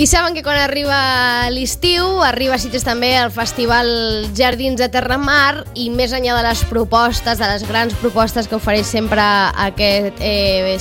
I saben que quan arriba l'estiu, arriba a Sitges també el Festival Jardins de Terramar, i més enllà de les propostes, de les grans propostes que ofereix sempre aquest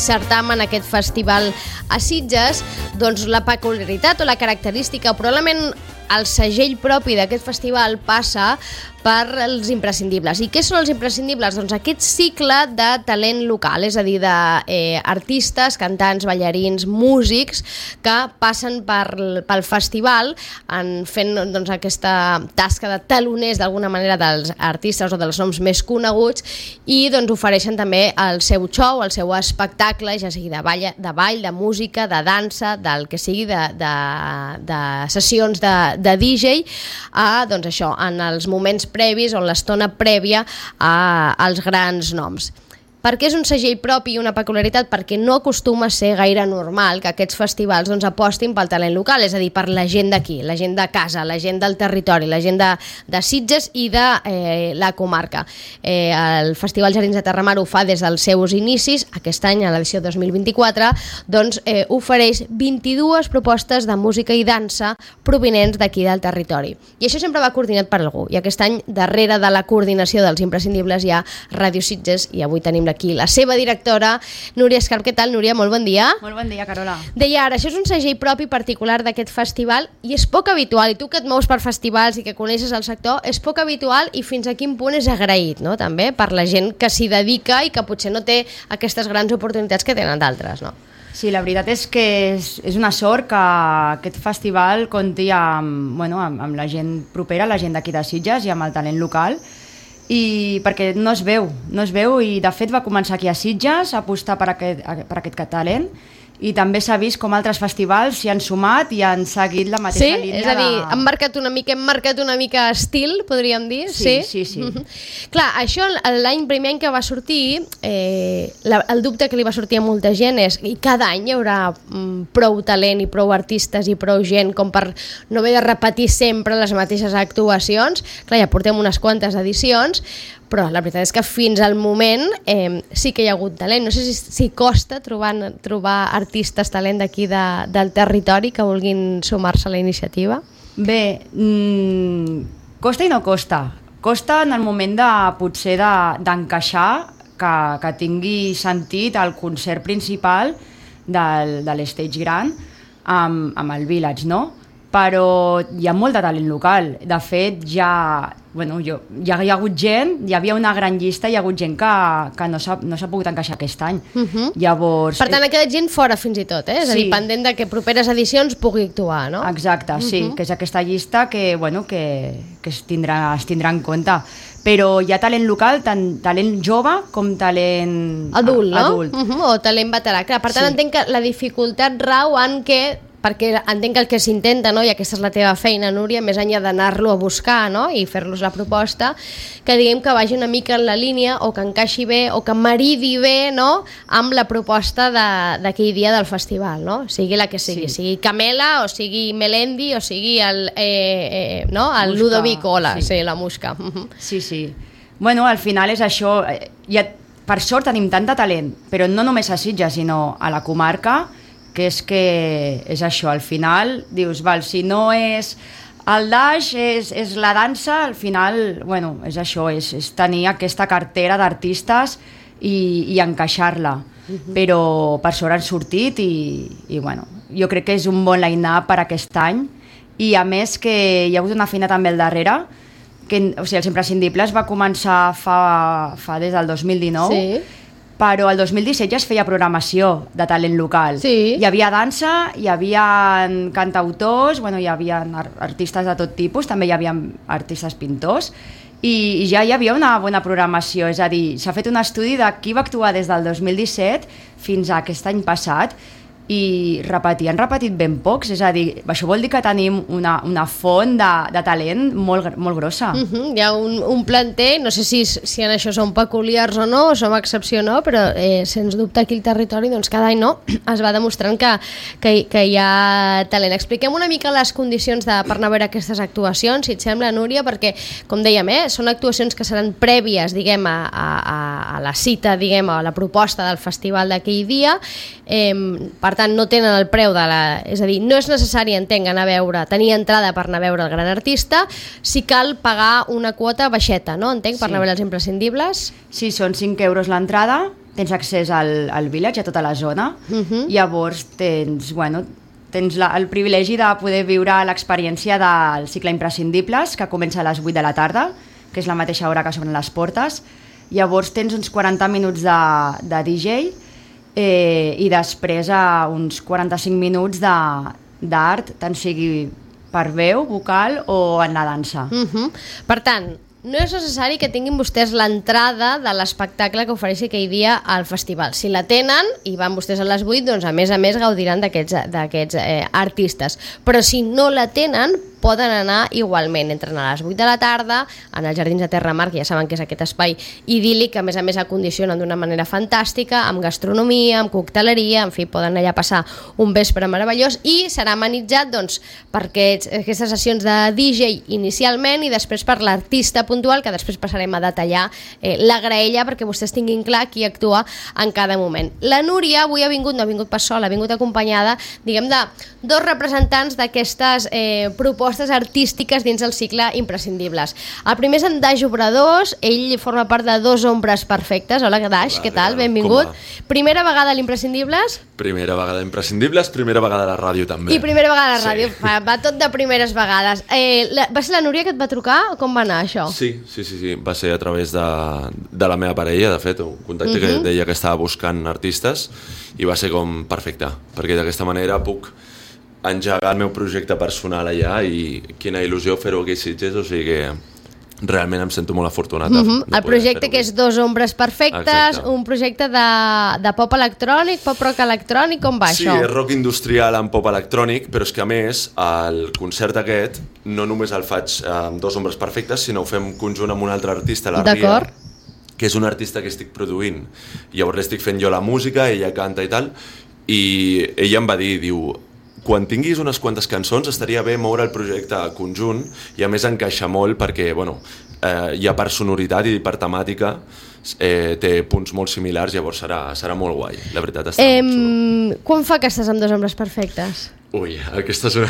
certamen, aquest festival a Sitges, doncs la peculiaritat o la característica, probablement el segell propi d'aquest festival passa per els imprescindibles. I què són els imprescindibles? Doncs aquest cicle de talent local, és a dir, d'artistes, cantants, ballarins, músics que passen pel festival fent doncs, aquesta tasca de taloners d'alguna manera dels artistes o dels noms més coneguts, i doncs ofereixen també el seu show, el seu espectacle, ja sigui de ball, de música, de dansa, del que sigui, de sessions de DJ, doncs això, en els moments previs o en l'estona prèvia als grans noms. Per què és un segell propi i una peculiaritat? Perquè no acostuma a ser gaire normal que aquests festivals doncs, apostin pel talent local, és a dir, per la gent d'aquí, la gent de casa, la gent del territori, la gent de Sitges i de la comarca. El Festival Jardins de Terramar ho fa des dels seus inicis. Aquest any, a l'edició 2024, doncs, ofereix 22 propostes de música i dansa provinents d'aquí del territori. I això sempre va coordinat per algú. I aquest any, darrere de la coordinació dels imprescindibles, hi ha Ràdio Sitges, i avui tenim aquí la seva directora, Núria Escarp. Què tal, Núria? Molt bon dia. Molt bon dia, Carola. Deia ara, això és un segell propi particular d'aquest festival i és poc habitual, i tu que et mous per festivals i que coneixes el sector, és poc habitual i fins a quin punt és agraït, no? També per la gent que s'hi dedica i que potser no té aquestes grans oportunitats que tenen d'altres, no? Sí, la veritat és que és una sort que aquest festival compti amb la gent propera, la gent d'aquí de Sitges i amb el talent local, i perquè no es veu i de fet va començar aquí a Sitges a apostar per aquest talent, i també s'ha vist com altres festivals s'hi han sumat i han seguit la mateixa línia. És a dir, hem marcat una mica estil, podríem dir. Sí. Clar, això primer any que va sortir, el dubte que li va sortir a molta gent és i cada any hi haurà prou talent i prou artistes i prou gent com per no haver de repetir sempre les mateixes actuacions. Clar, ja portem unes quantes edicions, però la veritat és que fins al moment sí que hi ha hagut talent. No sé si costa trobar artistes, talent d'aquí del territori que vulguin sumar-se a la iniciativa. Bé, costa i no costa. Costa en el moment potser d'encaixar, que tingui sentit el concert principal de l'Stage Gran amb el Village, no? Però hi ha molt de talent local. De fet, hi ha hagut gent, hi havia una gran llista, hi ha hagut gent que no s'ha pogut encaixar aquest any. Llavors, per tant, ha quedat gent fora fins i tot, és a dir, pendent de que properes edicions pugui actuar, no? Exacte, sí, que és aquesta llista que es tindrà en compte. Però hi ha talent local, tant talent jove com talent adult. O talent veterà. Per tant, entenc que la dificultat rau en què, perquè entenc que el que s'intenta, no? I aquesta és la teva feina, Núria, més enllà d'anar-lo a buscar, no? I fer-los la proposta, que diguem que vagi una mica en la línia o que encaixi bé o que maridi bé, no? Amb la proposta d'aquell dia del festival, no? Sigui la que sigui, sigui Camela o sigui Melendi o sigui el Ludovico, la Musca. Sí. Bueno, al final és això. Per sort tenim tant de talent, però no només a Sitges, sinó a la comarca, que és això, al final dius, si no és el daix, és la dansa, al final, és això, és tenir aquesta cartera d'artistes i encaixar-la. Però per sort han sortit i jo crec que és un bon line-up per aquest any, i a més que hi ha hagut una feina també al darrere, els imprescindibles va començar fa des del 2019, però el 2017 ja es feia programació de talent local. Sí. Hi havia dansa, hi havia cantautors, hi havia artistes de tot tipus, també hi havia artistes pintors, i ja hi havia una bona programació, és a dir, s'ha fet un estudi de qui va actuar des del 2017 fins a aquest any passat, i han repetit ben pocs, és a dir, això vol dir que tenim una font de talent molt grossa. Hi ha un planter, no sé si en això som peculiars o no, o som excepció o no, però sens dubte aquí al territori cada any es va demostrant que hi ha talent. Expliquem una mica les condicions per anar a veure aquestes actuacions, si et sembla, Núria, perquè, com dèiem, són actuacions que seran prèvies, diguem, a la cita, diguem, a la proposta del festival d'aquell dia. Per per tant no tenen el preu de la... És a dir, no és necessari, entenc, tenir entrada per anar a veure el gran artista, si cal pagar una quota baixeta, no? Entenc, per anar a veure els imprescindibles. Sí, són 5 euros l'entrada, tens accés al village, a tota la zona, llavors tens el privilegi de poder viure l'experiència del cicle Imprescindibles, que comença a les 8 de la tarda, que és la mateixa hora que s'obren les portes. Llavors tens uns 40 minuts de DJ i després uns 45 minuts d'art, tant sigui per veu, vocal o en la dansa. Per tant, no és necessari que tinguin vostès l'entrada de l'espectacle que ofereixi aquell dia al festival. Si la tenen i van vostès a les 8, doncs a més gaudiran d'aquests artistes. Però si no la tenen, poden anar igualment. Entren a les 8 de la tarda en els Jardins de Terramar, que ja saben que és aquest espai idíl·lic, que a més acondicionen d'una manera fantàstica, amb gastronomia, amb cocteleria, en fi, poden allà passar un vespre meravellós i serà amenitzat per aquestes sessions de DJ inicialment i després per l'artista puntual, que després passarem a detallar la graella perquè vostès tinguin clar qui actua en cada moment. La Núria avui no ha vingut pas sola, ha vingut acompanyada, diguem, de dos representants d'aquestes propostes artístiques dins el cicle Imprescindibles. El primer és en Daix Obradors, ell forma part de Dos Ombres Perfectes. Hola, Daix, què tal? Benvingut. Primera vegada a l'Imprescindibles? Primera vegada a Imprescindibles, primera vegada a la ràdio també. I primera vegada a la ràdio, va tot de primeres vegades. Va ser la Núria que et va trucar? Com va anar això? Sí, va ser a través de la meva parella, de fet, un contacte que deia que estava buscant artistes i va ser com perfecte, perquè d'aquesta manera puc engegar el meu projecte personal allà i quina il·lusió fer-ho aquí a Sitges, o sigui que realment em sento molt afortunat. El projecte que és Dos Ombres Perfectes, un projecte de pop electrònic, pop rock electrònic, com va això? Sí, és rock industrial amb pop electrònic, però és que a més el concert aquest no només el faig amb Dos Ombres Perfectes, sinó ho fem conjunt amb un altre artista, la Ria, que és un artista que estic produint. Llavors l'estic fent jo la música, ella canta i tal, i ella em va dir, diu, quan tinguis unes quantes cançons estaria bé moure el projecte conjunt i a més encaixa molt perquè hi ha per sonoritat i per temàtica té punts molt similars, llavors serà molt guai, la veritat està molt xulo. Quan fa que estàs amb Dos Ombres Perfectes? Ui, aquesta és una...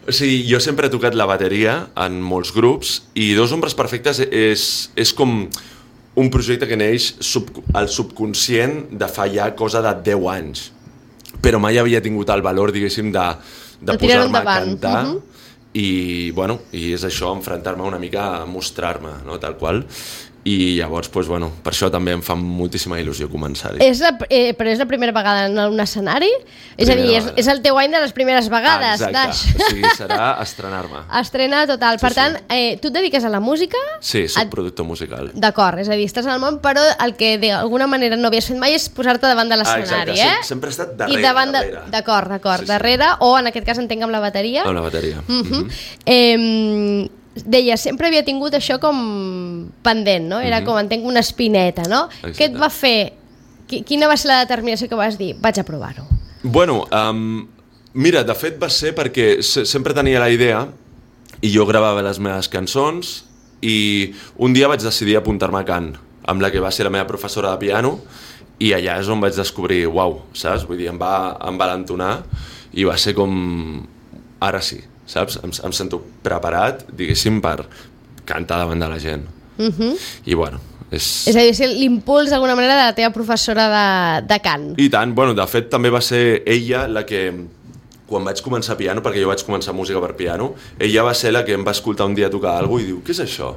O sigui, jo sempre he tocat la bateria en molts grups i Dos Ombres Perfectes és com un projecte que neix al subconscient de fa ja cosa de 10 anys. Però mai havia tingut el valor, diguéssim, de posar-me a cantar i és això, enfrontar-me una mica a mostrar-me, no? Tal qual. I llavors, per això també em fa moltíssima il·lusió començar-hi. Però és la primera vegada en un escenari? És a dir, és el teu any de les primeres vegades. Exacte, o sigui, serà estrenar-me. Estrena total. Per tant, tu et dediques a la música? Sí, soc productor musical. D'acord, és a dir, estàs en el món, però el que d'alguna manera no havies fet mai és posar-te davant de l'escenari, sempre he estat darrere. D'acord, darrere, o en aquest cas entenc amb la bateria? Amb la bateria. Deia, sempre havia tingut això com pendent, no? Era com, entenc, una espineta, no? Exacte. Què et va fer? Quina va ser la determinació que vas dir? Vaig a provar-ho. Mira, de fet va ser perquè sempre tenia la idea i jo gravava les meves cançons i un dia vaig decidir apuntar-me a cant amb la que va ser la meva professora de piano i allà és on vaig descobrir, uau, saps? Vull dir, em va envalentonar i va ser com, ara sí, saps? Em sento preparat, diguéssim, per cantar davant de la gent. I és a dir, l'impuls d'alguna manera de la teva professora de cant. I tant, de fet també va ser ella la que, quan vaig començar piano, perquè jo vaig començar música per piano, ella va ser la que em va escoltar un dia tocar alguna cosa i diu, què és això?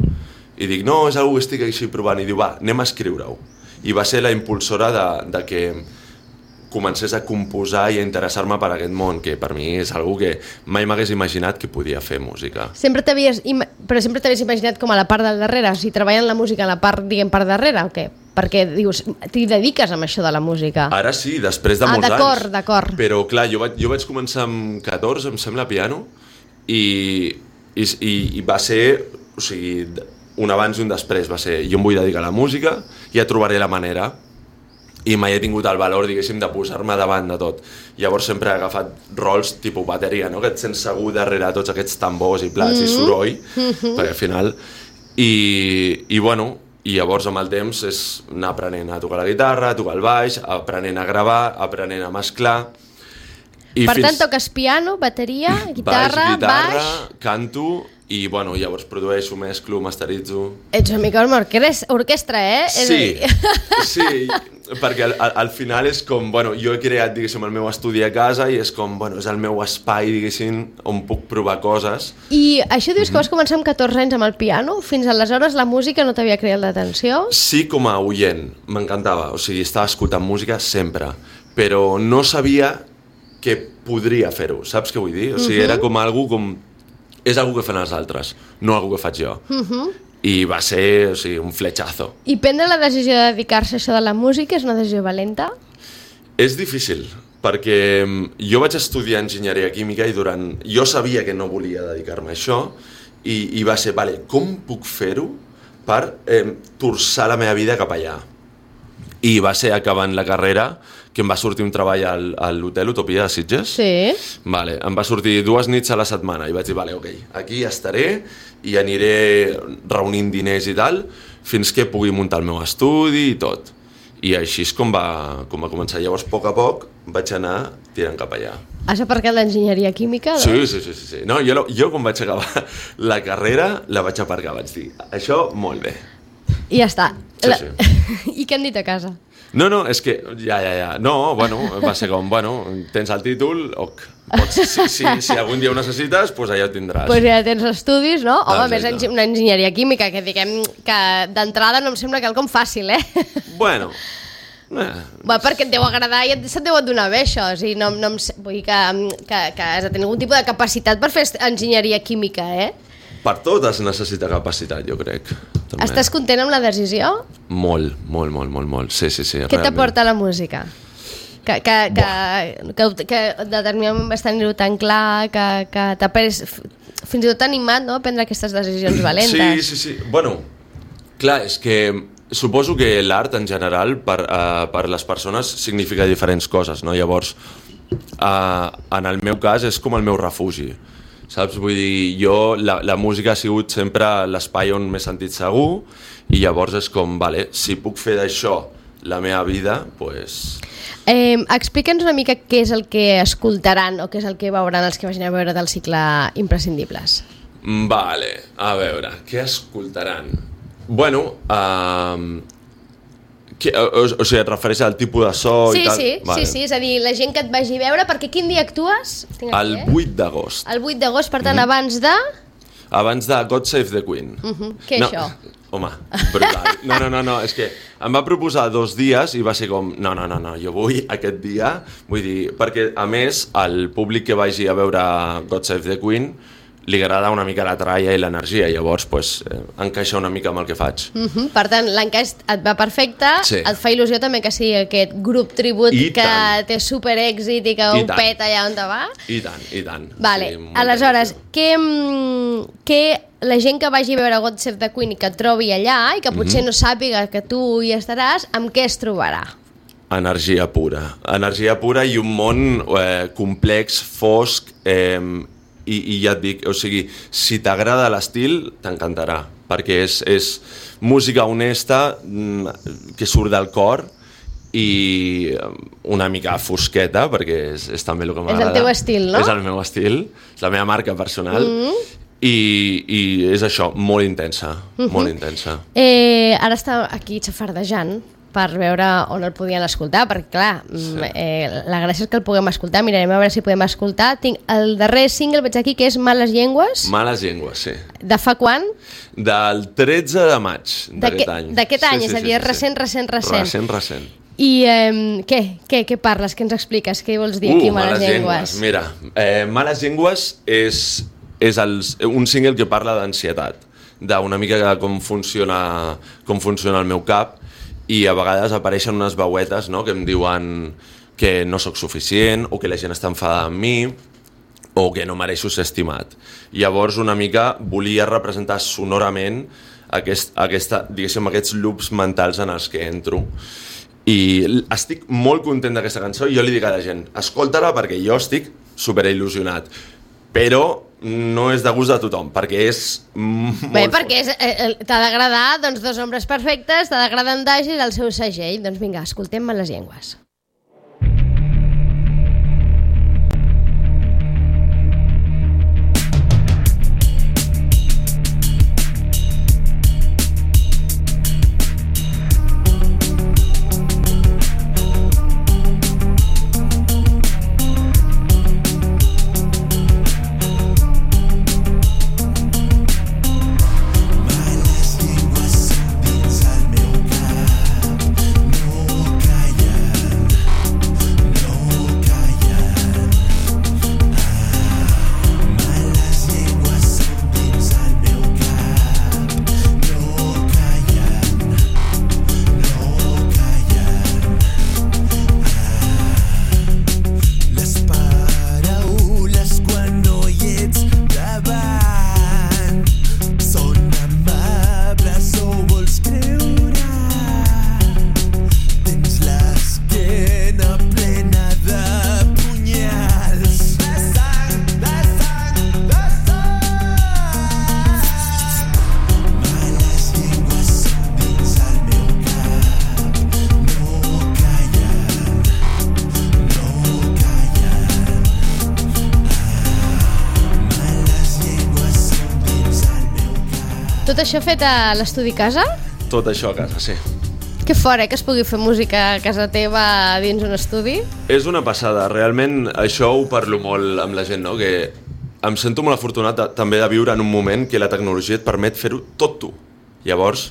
I dic, no, és alguna que estic així provant, i diu, va, anem a escriure-ho. I va ser la impulsora de que comencés a composar i a interessar-me per aquest món, que per mi és algo que mai m'hagués imaginat que podia fer música. Però sempre t'havies imaginat com a la part del darrere, o sigui, treballant la música en la part, diguem, part darrere, o què? Perquè, dius, t'hi dediques amb això de la música. Ara sí, després de molts anys. D'acord. Però, clar, jo vaig començar amb 14, em sembla, piano, i va ser, o sigui, un abans i un després, va ser, jo em vull dedicar a la música, ja trobaré la manera, i mai he tingut el valor, diguéssim, de posar-me davant de tot. Llavors sempre he agafat rols tipus bateria, no? Que et sents segur darrere tots aquests tambors i plats i soroll, perquè al final... I llavors amb el temps és anar aprenent a tocar la guitarra, a tocar el baix, aprenent a gravar, aprenent a mesclar, Per tant, toques piano, bateria, guitarra, baix... canto i, bueno, llavors produeixo, mesclo, masteritzo... Ets una mica com orquestra, Sí, perquè al final és com, bueno, jo he creat, diguéssim, el meu estudi a casa i és com, bueno, és el meu espai, diguéssim, on puc provar coses. I això dius que vas començar amb 14 anys amb el piano? Fins aleshores la música no t'havia creat l'atenció? Sí, com a oient, m'encantava, o sigui, estava escoltant música sempre, però no sabia que podria fer-ho, saps què vull dir? O sigui, era com algo com... És algo que fan els altres, no algo que faig jo. I va ser, o sigui, un fletxazo. I prendre la decisió de dedicar-se a això de la música és una decisió valenta? És difícil, perquè jo vaig estudiar enginyeria química i jo sabia que no volia dedicar-me a això i va ser, vale, com puc fer-ho per torçar la meva vida cap allà? I va ser acabant la carrera que em va sortir un treball a l'hotel Utopia de Sitges. Sí. Vale, em va sortir 2 nits a la setmana i vaig dir, vale, ok, aquí estaré i aniré reunint diners i tal fins que pugui muntar el meu estudi i tot. I així és com va començar. Llavors, a poc vaig anar tirant cap allà. Has aparcat l'enginyeria química? Sí. No, jo quan vaig acabar la carrera la vaig aparcar, vaig dir, això molt bé. I ja està. Sí. I què han dit a casa? No, és que ja. No, bueno, va ser com, bueno, tens el títol, si algun dia ho necessites, doncs allà ho tindràs. Doncs ja tens estudis, no? Home, més una enginyeria química, que diguem que d'entrada no em sembla quelcom fàcil, Bueno, perquè et deu agradar i se't deu donar bé això, o sigui, no vull dir que has de tenir algun tipus de capacitat per fer enginyeria química, Per tot es necessita capacitat, jo crec. També. Estàs content amb la decisió? Molt. Sí. Què t'aporta la música? Que determinant vas tenir-ho tan clar, que t'ha fins i tot animat, no?, a prendre aquestes decisions valentes. Sí. Bueno, clar, és que suposo que l'art en general per les persones significa diferents coses, no? Llavors, en el meu cas és com el meu refugi. Saps? Vull dir, jo, la música ha sigut sempre l'espai on m'he sentit segur i llavors és com, vale, si puc fer d'això la meva vida, doncs... Explica'ns una mica què és el que escoltaran o què és el que veuran els que vagin a veure del cicle Imprescindibles. Vale, a veure, què escoltaran? Bueno, o sigui, et refereixes al tipus de so i tal? Sí, és a dir, la gent que et vagi a veure, perquè quin dia actues? El 8 d'agost. El 8 d'agost, per tant, abans de... Abans de God Save the Queen. Què és això? Home, brutal. No, és que em va proposar 2 dies i va ser com, no, jo vull aquest dia, vull dir, perquè a més el públic que vagi a veure God Save the Queen li agrada una mica la tralla i l'energia, llavors encaixa una mica amb el que faig. Per tant, l'encaix et va perfecte, et fa il·lusió també que sigui aquest grup tribut que té super èxit i que ho peta allà on te va? I tant. Vale, aleshores, què la gent que vagi a veure God Save the Queen i que et trobi allà i que potser no sàpiga que tu hi estaràs, amb què es trobarà? Energia pura i un món complex, fosc, i ja et dic, o sigui, si t'agrada l'estil, t'encantarà, perquè és música honesta que surt del cor i una mica fosqueta, perquè és també el que m'agrada. És el teu estil, no? És el meu estil, és la meva marca personal i és això, molt intensa, molt intensa. Ara està aquí xafardejant per veure on el podien escoltar, perquè clar, la gràcia és que el puguem escoltar, mirarem a veure si podem escoltar. Tinc el darrer single, veig aquí, que és Males Llengües. Males Llengües, sí. De fa quan? Del 13 de maig d'aquest any. D'aquest any, és a dir, recent. Recent. I què parles, què ens expliques, què vols dir aquí, Males Llengües? Mira, Males Llengües és un single que parla d'ansietat, d'una mica com funciona el meu cap, i a vegades apareixen unes veuetes, no?, que em diuen que no sóc suficient o que la gent està enfadada amb mi o que no mereixo ser estimat. Llavors una mica volia representar sonorament diguéssim, aquests loops mentals en els que entro. I estic molt content d'aquesta cançó i jo li dic a la gent, escolta-la perquè jo estic superil·lusionat, però no és de gust de tothom, perquè és molt bé, perquè t'ha d'agradar, doncs, Dos hombres perfectes, t'ha d'agradar en Dagi i el seu segell. Doncs vinga, escoltem Males Llengües. Tot això fet a l'estudi casa? Tot això a casa, sí. Que fort, que es pugui fer música a casa teva dins un estudi? És una passada, realment això ho parlo molt amb la gent, no? Que em sento molt afortunat també de viure en un moment que la tecnologia et permet fer-ho tot tu. Llavors,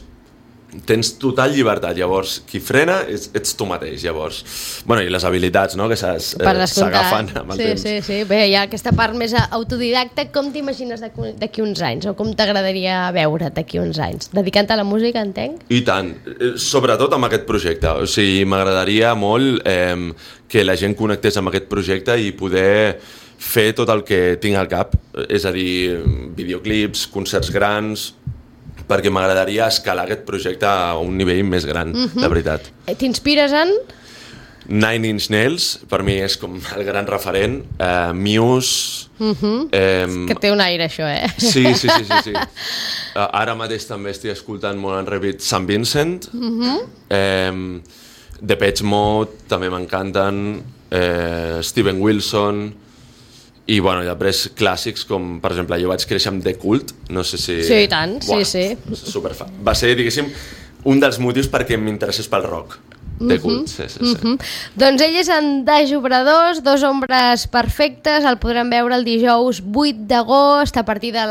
tens total llibertat, llavors qui frena ets tu mateix, llavors. Bueno, i les habilitats, no?, que s'agafen amb el temps. Sí. Bé, hi ha aquesta part més autodidacta. Com t'imagines d'aquí uns anys? O com t'agradaria veure't d'aquí uns anys? Dedicant-te a la música, entenc? I tant, sobretot amb aquest projecte. O sigui, m'agradaria molt que la gent connectés amb aquest projecte i poder fer tot el que tinc al cap, és a dir, videoclips, concerts grans, perquè m'agradaria escalar aquest projecte a un nivell més gran, de veritat. T'inspires en? Nine Inch Nails, per mi és com el gran referent. Muse... Que té un aire, això, eh? Sí. Ara mateix també estic escoltant molt en repeat St. Vincent. Depeche Mode, també m'encanten. Steven Wilson... I, bueno, després clàssics com, per exemple, jo vaig créixer amb The Cult, no sé si... Sí, i tant, sí. Superfan. Va ser, diguéssim, un dels motius perquè m'interessés pel rock. The Cult, sí. Doncs ell és en Daix Obradors, Dos ombres perfectes, el podrem veure el dijous 8 d'agost a partir de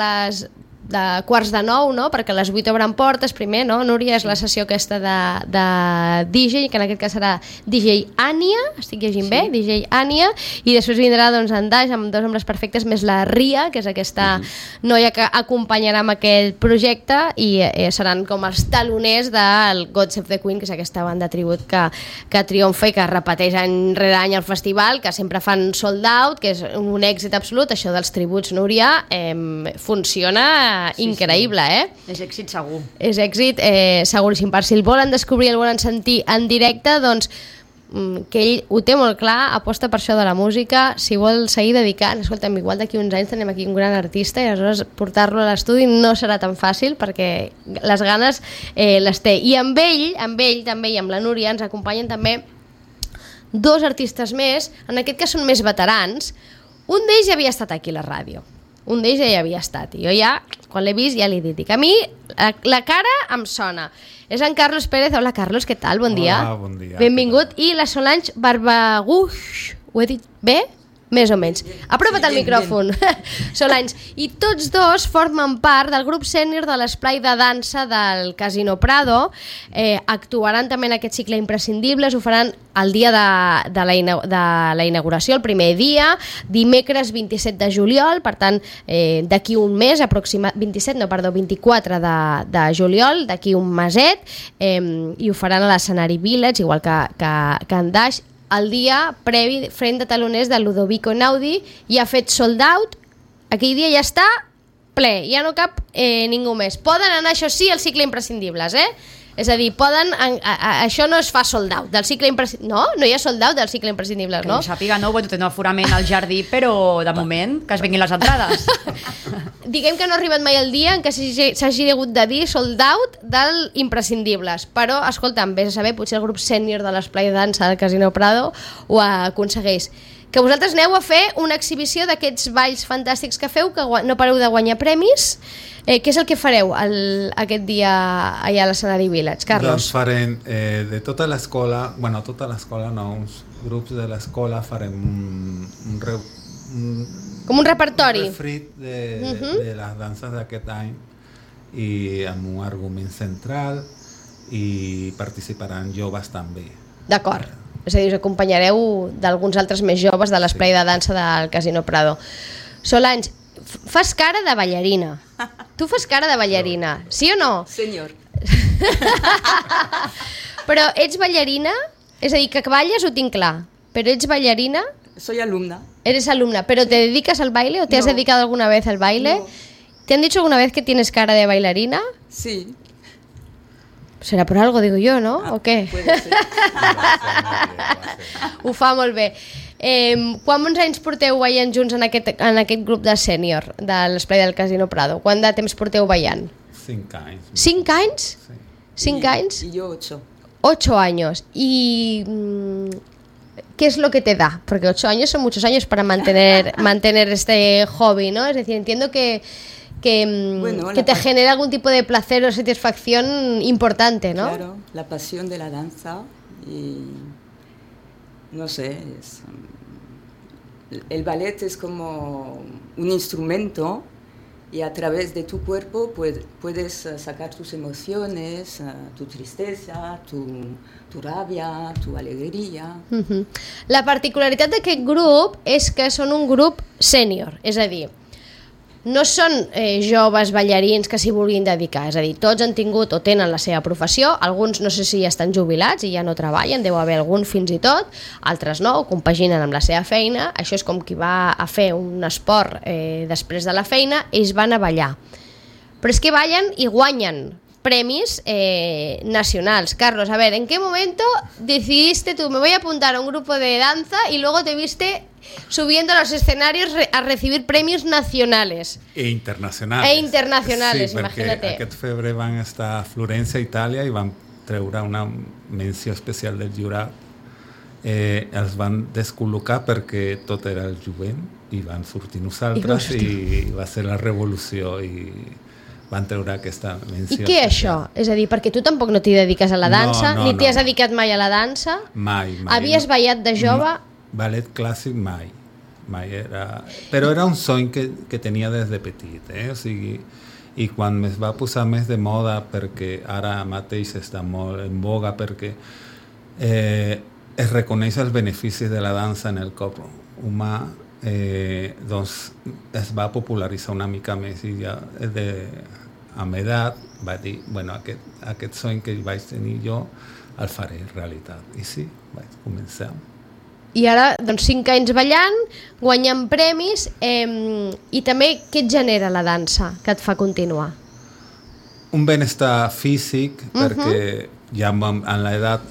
quarts de 9, no? Perquè a les 8 obren portes primer, no? Núria, és la sessió aquesta de DJ, que en aquest cas serà DJ Ània, estic llegint bé, DJ Ània, i després vindrà doncs en Daix amb Dos ombres perfectes més la Ria, que és aquesta noia que acompanyarà amb aquest projecte, i seran com els taloners del God Save the Queen, que és aquesta banda tribut que triomfa i que repeteix any rere any al festival, que sempre fan sold out, que és un èxit absolut. Això dels tributs, Núria, funciona increïble, És èxit segur. És èxit seguríssim. Per si el volen descobrir, el volen sentir en directe, doncs que ell ho té molt clar, aposta per això de la música, si vol seguir dedicant, escolta'm, igual d'aquí uns anys tenim aquí un gran artista i aleshores portar-lo a l'estudi no serà tan fàcil perquè les ganes les té. I amb ell també, i amb la Núria, ens acompanyen també dos artistes més, en aquest cas són més veterans. Un d'ells ja havia estat aquí a la ràdio. Un d'ells ja hi havia estat, i jo ja, quan l'he vist, ja l'he dit. A mi la cara em sona. És en Carlos Pérez. Hola, Carlos, què tal? Bon dia. Hola, bon dia. Benvingut. I la Solange Barbaguix. Ho he dit bé? Més o menys. Apropa't al micròfon. Solange. I tots dos formen part del grup sènior de l'esplai de dansa del Casino Prado. Actuaran també en aquest cicle Imprescindibles. Ho faran el dia de la inauguració, el primer dia, dimecres 27 de juliol, per tant, d'aquí un mes, 24 de juliol, d'aquí un meset, i ho faran a l'escenari Village, igual que en Daix. El dia previ, front de taloners de Ludovico Einaudi, ja ha fet sold out, aquell dia ja està ple, ja no cap ningú més. Poden anar, això sí, al cicle Imprescindibles, És a dir, això no es fa sold out del cicle Imprescindibles, no hi ha sold out del cicle Imprescindibles, no? Que jo sàpiga, no, té un aforament al jardí, però de moment que es venguin les entrades. Diguem que no ha arribat mai el dia en què s'hagi hagut de dir sold out del Imprescindibles, però, escolta'm, vés a saber, potser el grup sènior de l'esplai de dansa del Casino Prado ho aconsegueix. Que vosaltres aneu a fer una exhibició d'aquests balls fantàstics que feu, que no pareu de guanyar premis. Què és el que fareu aquest dia allà a l'escenari Village, Carlos? Doncs farem de tota l'escola, no, uns grups de l'escola farem com un repertori. Un refrit de les danses d'aquest any i amb un argument central, i participaran joves també. D'acord. És a dir, us acompanyareu d'alguns altres més joves de l'esplai de dansa del Casino Prado. Solange, fas cara de ballarina. Tu fas cara de ballarina, sí o no? Senyor. Però ets ballarina? És a dir, que balles ho tinc clar, però ets ballarina? Soy alumna. Eres alumna, ¿pero te dedicas al baile o te has dedicado alguna vez al baile? No. ¿Te han dicho alguna vez que tienes cara de bailarina? Sí. Serà per algo, digo yo, ¿no? ¿O què? Puede ser. Ho fa molt bé. Quants anys porteu ballant junts en aquest grup de sènior de l'esplai del Casino Prado? Quant de temps porteu ballant? 5 anys. 5 anys? Sí. 5 anys? Y yo 8. 8 años. ¿Y qué es lo que te da? Porque 8 años son muchos años para mantener este hobby, ¿no? Es decir, entiendo que que te genera algún tipo de placer o satisfacción importante, ¿no? Claro, la pasión de la danza y no sé, el ballet es como un instrumento y a través de tu cuerpo puedes sacar tus emociones, tu tristesa, tu rabia, tu alegria. La particularitat d'aquest grup és que són un grup sènior, és a dir, no són joves ballarins que s'hi vulguin dedicar, és a dir, tots han tingut o tenen la seva professió, alguns no sé si ja estan jubilats i ja no treballen, deu haver algun fins i tot, altres no, ho compaginen amb la seva feina, això és com qui va a fer un esport després de la feina, ells van a ballar. Però és que ballen i guanyen premis nacionals. Carlos, a ver, ¿en qué momento decidiste tú, me voy a apuntar a un grupo de danza y luego te viste subiendo a los escenarios a recibir premios nacionales? E internacionales, sí, imagínate. Perquè aquest febrer van estar a Florència, Itàlia, i van treure una menció especial del jurat. Els van descol·locar perquè tot era el jovent i van sortir nosaltres i va ser la revolució i van treure aquesta menció. I què és això? És a dir, perquè tu tampoc no t'hi dediques a la dansa, ni t'hi has dedicat mai a la dansa? Mai. Havies ballat de jove? Ballet clàssic mai era... Però era un somny que tenia des de petit, o sigui, i quan es va posar més de moda, perquè ara mateix està molt en boga, perquè es reconeix els beneficis de la dansa en el cop humà, doncs es va popularitzar una mica més i ja amb edat va dir, bueno, aquest somny que vaig tenir jo el faré realitat. I sí, vaig començar. I ara, doncs, 5 anys ballant, guanyant premis, i també què et genera la dansa que et fa continuar? Un benestar físic, perquè ja en l'edat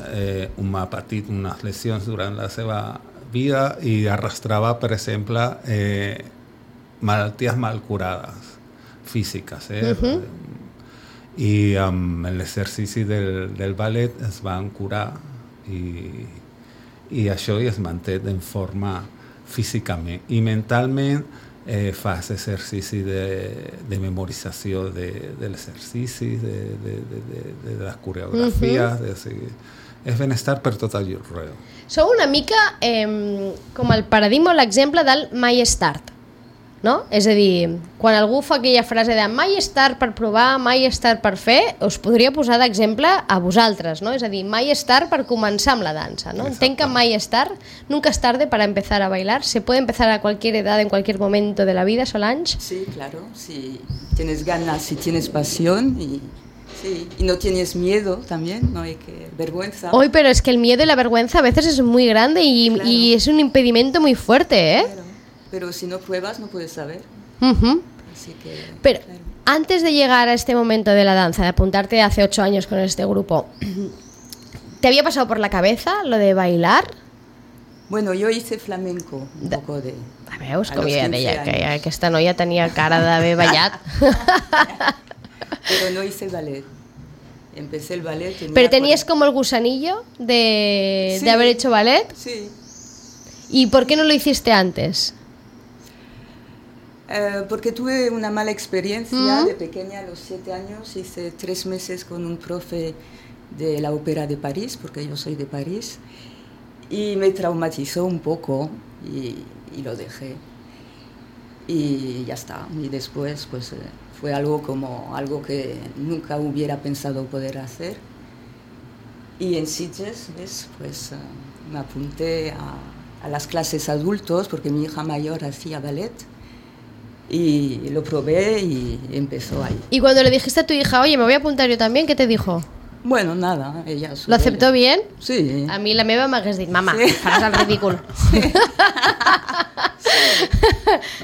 m'ha patit unes lesions durant la seva vida i arrastrava, per exemple, malalties mal curades, físiques. I amb l'exercici del ballet es van curar i això es manté en forma físicament. I mentalment fas exercici de memorització dels exercicis, de les coreografies, és benestar per tot arreu. Sou una mica com el paradigma o l'exemple del mai és tard, no? És a dir, quan algú fa aquella frase de mai és tard per provar, mai és tard per fer, us podria posar d'exemple a vosaltres, no? És a dir, mai és tard per començar amb la dansa, ¿no? Entenc que mai és tard, nunca es tarde para empezar a bailar, se puede empezar a cualquier edad, en cualquier momento de la vida, Solange. Sí, claro, si tienes ganas, si tienes pasión y no tienes miedo también, no hay que vergüenza. Hoy, pero es que el miedo y la vergüenza a veces es muy grande y es un impedimento muy fuerte, ¿eh? Claro. Pero si no pruebas no puedes saber. Así que, pero claro. Antes de llegar a este momento de la danza, de apuntarte hace 8 años con este grupo, ¿te había pasado por la cabeza lo de bailar? Bueno, yo hice flamenco un poco de... A veus, com ja deia, que aquesta noia tenia cara d'haver ballat. Pero no hice ballet. Empecé el ballet... ¿Pero tenías como el gusanillo de haber hecho ballet? Sí. ¿Y por qué no lo hiciste antes? Porque tuve una mala experiencia de pequeña, a los 7 años. Hice 3 meses con un profe de la Ópera de París, porque yo soy de París, y me traumatizó un poco y lo dejé. Y ya está. Y después pues fue algo que nunca hubiera pensado poder hacer. Y en Sitges, pues me apunté a las clases adultos, porque mi hija mayor hacía ballet. Y lo probé y empezó ahí. ¿Y cuando le dijiste a tu hija, oye, me voy a apuntar yo también, qué te dijo? Bueno, nada, ella... ¿Lo aceptó bien? Sí. A mi la meva m'hagués dit, mama, faràs el ridícul. Sí.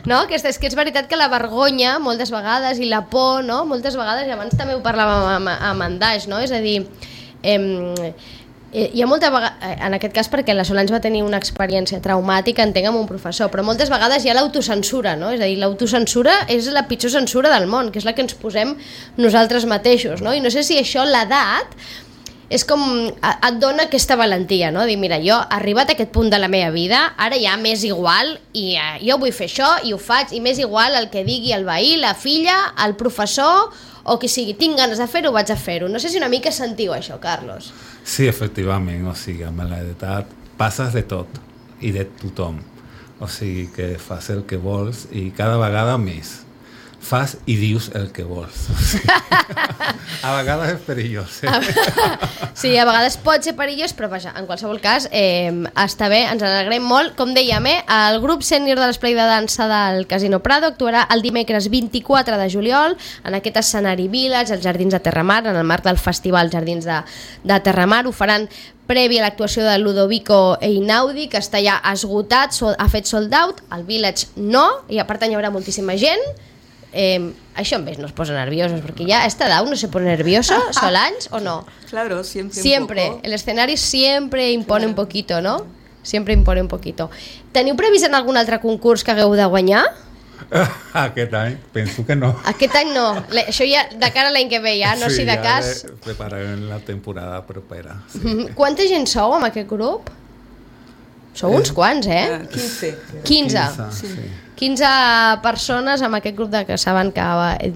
No? Que és veritat que la vergonya, moltes vegades, i la por, no? Moltes vegades, i abans també ho parlàvem amb en Daix, no? És a dir, hi ha molta vegada, en aquest cas perquè la Solange va tenir una experiència traumàtica, entenc, amb un professor, però moltes vegades hi ha l'autocensura, no? És a dir, l'autocensura és la pitjor censura del món, que és la que ens posem nosaltres mateixos, no? I no sé si això, l'edat, és com, et dona aquesta valentia, no? Dir, mira, jo he arribat a aquest punt de la meva vida, ara ja m'és igual i jo vull fer això i ho faig, i m'és igual el que digui el veí, la filla, el professor o qui sigui, tinc ganes de fer-ho, vaig a fer-ho. No sé si una mica sentiu això, Carlos. Sí, efectivament, o sigui, amb l'edat passes de tot i de tothom, o sigui que fas el que vols i cada vegada més. Fas i dius el que vols. A vegades és perillós. Sí, a vegades pot ser perillós, però vaja, en qualsevol cas està bé, ens n'alegrem molt. Com dèiem, el grup sènior de l'esplai de dansa del Casino Prado actuarà el dimecres 24 de juliol en aquest escenari Village, als Jardins de Terramar, en el marc del Festival Jardins de Terramar. Ho faran previ a l'actuació de Ludovico Einaudi, que està ja esgotat, ha fet sold out, el Village no, i a part hi haurà moltíssima gent. Això en vez nos posa nerviosos, porque ya a esta edad uno se pone nervioso, Solange, ¿o no? Claro, siempre. Siempre, un poco. El escenario siempre impone un poquito, ¿no? Siempre impone un poquito. Teniu previst en algun altre concurs que hagueu de guanyar? Aquest any, penso que no. Aquest any no, això ja de cara a l'any que ve ja, no sí, si de cas... Sí, ja prepararem la temporada propera. Sí. Quanta gent sou amb aquest grup? Sou uns quants, 15. 15. Sí. 15 persones amb aquest grup que saben que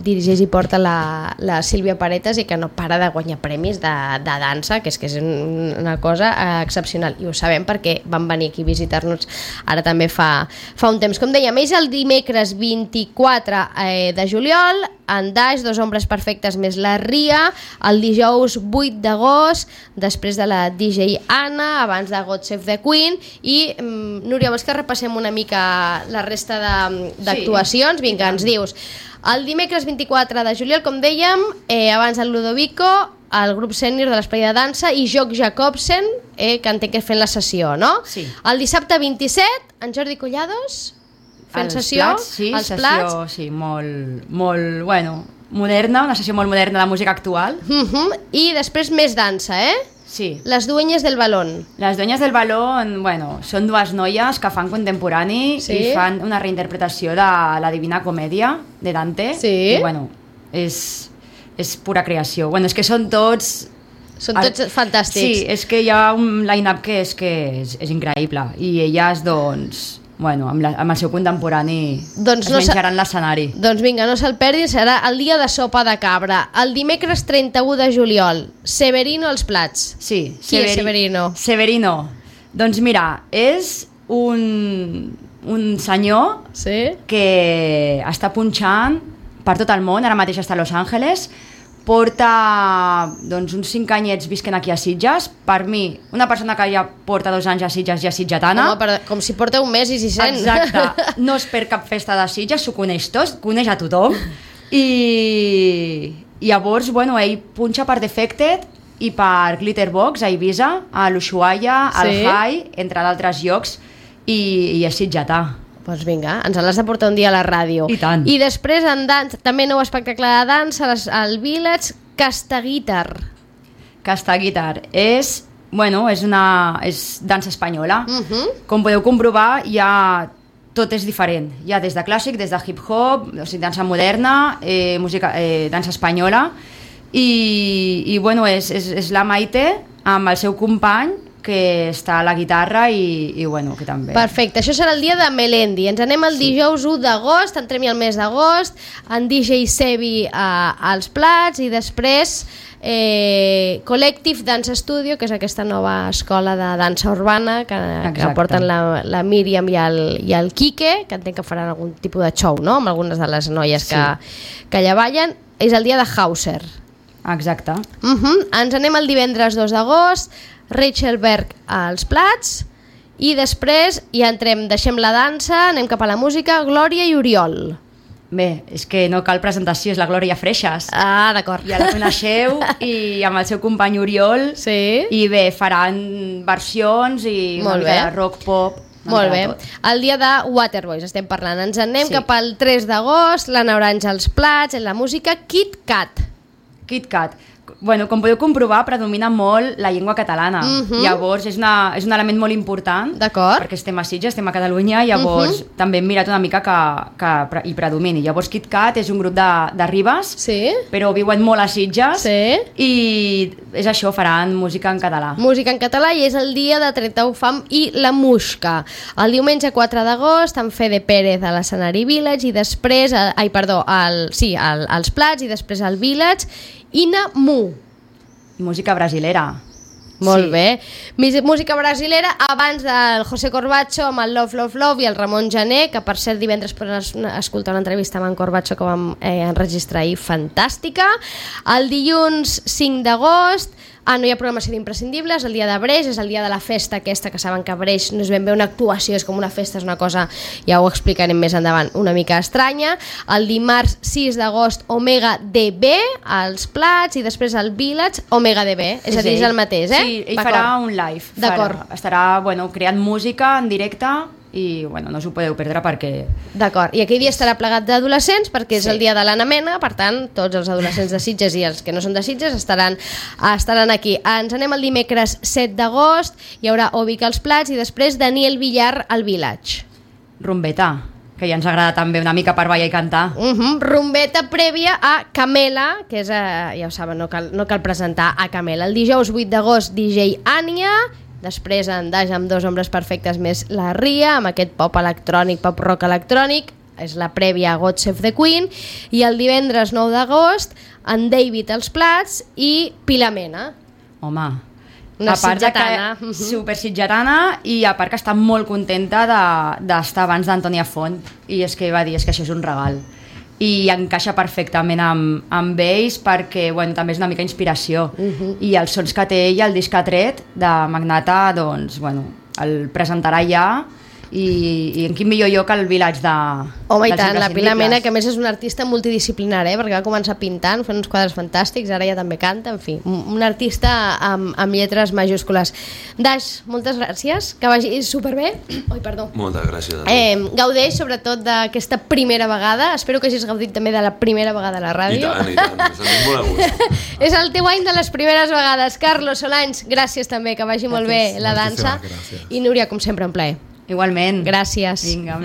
dirigeix i porta la Sílvia Paretas i que no para de guanyar premis de dansa, que és una cosa excepcional, i ho sabem perquè van venir aquí a visitar-nos ara també fa un temps. Com dèiem, és el dimecres 24 de juliol, en Daix, Dos hombres perfectes més la Ria, el dijous 8 d'agost, després de la DJ Anna, abans de God Save the Queen, i Núria, vols que repassem una mica la resta d'actuacions? Sí, vinga, ens dius. El dimecres 24 de juliol, com dèiem, abans del Ludovico, el grup sènior de l'esplai de dansa i Joc Jacobsen, que entenc que fent la sessió, no? Sí. El dissabte 27, en Jordi Collados, fent sessió, els plats, sí, molt, bueno, moderna, una sessió molt moderna de música actual. I després més dansa, Sí. Les dueñas del balón. Les dueñas del balón, bueno, són dues noies que fan contemporani i fan una reinterpretació de la Divina Comèdia de Dante. Sí. I, bueno, és pura creació. Bueno, és que són tots... Són tots fantàstics. Sí, és que hi ha un line-up que és increïble. I elles, doncs... Bueno, amb el seu contemporani es menjaran l'escenari. Doncs vinga, no se'l perdin, serà el dia de sopa de cabra. El dimecres 31 de juliol, Severino als plats. Sí. Qui és Severino? Severino, doncs mira, és un senyor que està punxant per tot el món, ara mateix està a Los Angeles, porta doncs, uns 5 anyets visquent aquí a Sitges. Per mi, una persona que ja porta 2 anys a Sitges ja sitgetana. Home, com si porta un mes i 6 anys. Exacte, no és per cap festa de Sitges, s'ho coneix tot, coneix a tothom. I llavors, bueno, ell punxa per Defected i per Glitterbox a Ibiza, a l'Ushuaia, al High, entre d'altres llocs, i és sitgetà. Doncs vinga, ens l'has de portar un dia a la ràdio. I tant. I després en dansa, també nou espectacle de dansa al Village, Castaguitar. Castaguitar és dansa espanyola. Com podeu comprovar, tot és diferent. Hi ha des de clàssic, des de hip-hop, o sigui, dansa moderna, dansa espanyola, i bueno, és la Maite amb el seu company, que està a la guitarra i bueno, que també... Perfecte, això serà el dia de Melendi. Ens anem el dijous 1 d'agost, entrem-hi el mes d'agost, en DJ Sebi als plats i després Collective Dance Studio, que és aquesta nova escola de dansa urbana que porten la Míriam i el Quique, que entenc que faran algun tipus de show, no?, amb algunes de les noies que allà ballen. És el dia de Hauser. Exacte. Ens anem el divendres 2 d'agost, Rachel Berg als plats, i després ja deixem la dansa, anem cap a la música, Glòria i Oriol. Bé, és que no cal presentació, és la Glòria Freixas. Ah, d'acord. Ja la coneixeu, i amb el seu company Oriol, i bé, faran versions i una mica de rock pop. Molt bé. El dia de Waterboys estem parlant. Ens anem cap al 3 d'agost, l'Anna Orange als plats, en la música Kit Kat. Kit Kat. bueno, com podeu comprovar, predomina molt la llengua catalana. Llavors, és un element molt important, perquè estem a Sitges, estem a Catalunya, llavors també hem mirat una mica que hi predomini. Llavors, KitKat és un grup de Ribes, però viuen molt a Sitges, i és això, faran música en català. Música en català, i és el dia de 31 Fam i la Musca. El diumenge 4 d'agost, en Fede Pérez a l'escenari Village, i després, als Plats, i després al Village, Ina Mu. Música brasilera. Molt bé. Música brasilera abans del José Corbacho amb el Love, Love, Love i el Ramon Jané, que per cert divendres pots escoltar una entrevista amb en Corbacho que vam enregistrar ahir, fantàstica. El dilluns 5 d'agost no hi ha programació d'imprescindibles, el dia de Breix, és el dia de la festa aquesta, que saben que Breix no és ben bé una actuació, és com una festa, és una cosa, ja ho explicarem més endavant, una mica estranya. El dimarts 6 d'agost, Omega DB, als Plats, i després al Village, Omega DB, és a dir, és el mateix, Sí, ell farà un live. D'acord. Estarà creant música en directe, i no us ho podeu perdre perquè... D'acord, i aquell dia estarà plegat d'adolescents perquè és el dia de l'Anna Mena, per tant tots els adolescents de Sitges i els que no són de Sitges estaran aquí. Ens anem el dimecres 7 d'agost, hi haurà Ovic als Plats i després Daniel Villar al Village. Rumbeta, que ja ens agrada també una mica per ballar i cantar. Rumbeta prèvia a Camela, que és, ja ho saben, no cal presentar a Camela. El dijous 8 d'agost DJ Ània, després en Daix amb Dos hombres perfectes més la Ria, amb aquest pop electrònic, pop rock electrònic, és la prèvia a God Save the Queen, i el divendres 9 d'agost en David als Plats i Pilamena. Home, una sitgetana. Super sitgetana, i a part que està molt contenta d'estar abans d'Antònia Font, i és que va dir, és que això és un regal. I encaixa perfectament amb ells perquè també és una mica inspiració, i els sons que té ell, el disc que ha tret de Magnata, doncs el presentarà ja, i en quin millor lloc el Village Home, i tant, la Pilar Mena, que a més és una artista multidisciplinària, perquè va començar pintant, fent uns quadres fantàstics, ara ja també canta, en fi, un artista amb lletres majúscules. Daix, moltes gràcies, que vagi superbé. Oi, perdó. Moltes gràcies. Gaudeix sobretot d'aquesta primera vegada, espero que hagis gaudit també de la primera vegada a la ràdio. I tant, sentim molt a gust. És el teu any de les primeres vegades. Carlos Solanys, gràcies també, que vagi molt bé la dansa. I Núria, com sempre, un plaer. Igualment. Gràcies. Vinga,